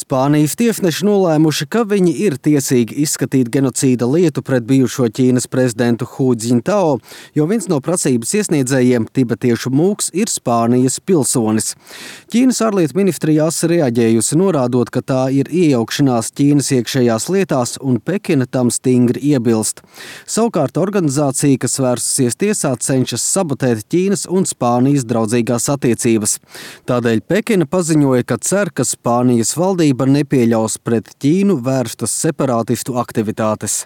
Spānijas tiesneši nolēmuši, ka viņi ir tiesīgi izskatīt genocīda lietu pret bijušo Ķīnas prezidentu Hu Jintao, jo viens no prasības iesniedzējiem, tibetiešu mūks, ir Spānijas pilsonis. Ķīnas ārlietu ministrija asi reaģējusi, norādot, ka tā ir iejaukšanās Ķīnas iekšējās lietās un Pekina tam stingri iebilst. Savukārt organizācija, kas vērsusies tiesā, cenšas sabotēt Ķīnas un Spānijas draudzīgās attiecības. Tādēļ Pekina paziņoja, ka cer, ka Spānijas valdība nepieļaus pret Ķīnu vērstas separātistu aktivitātes.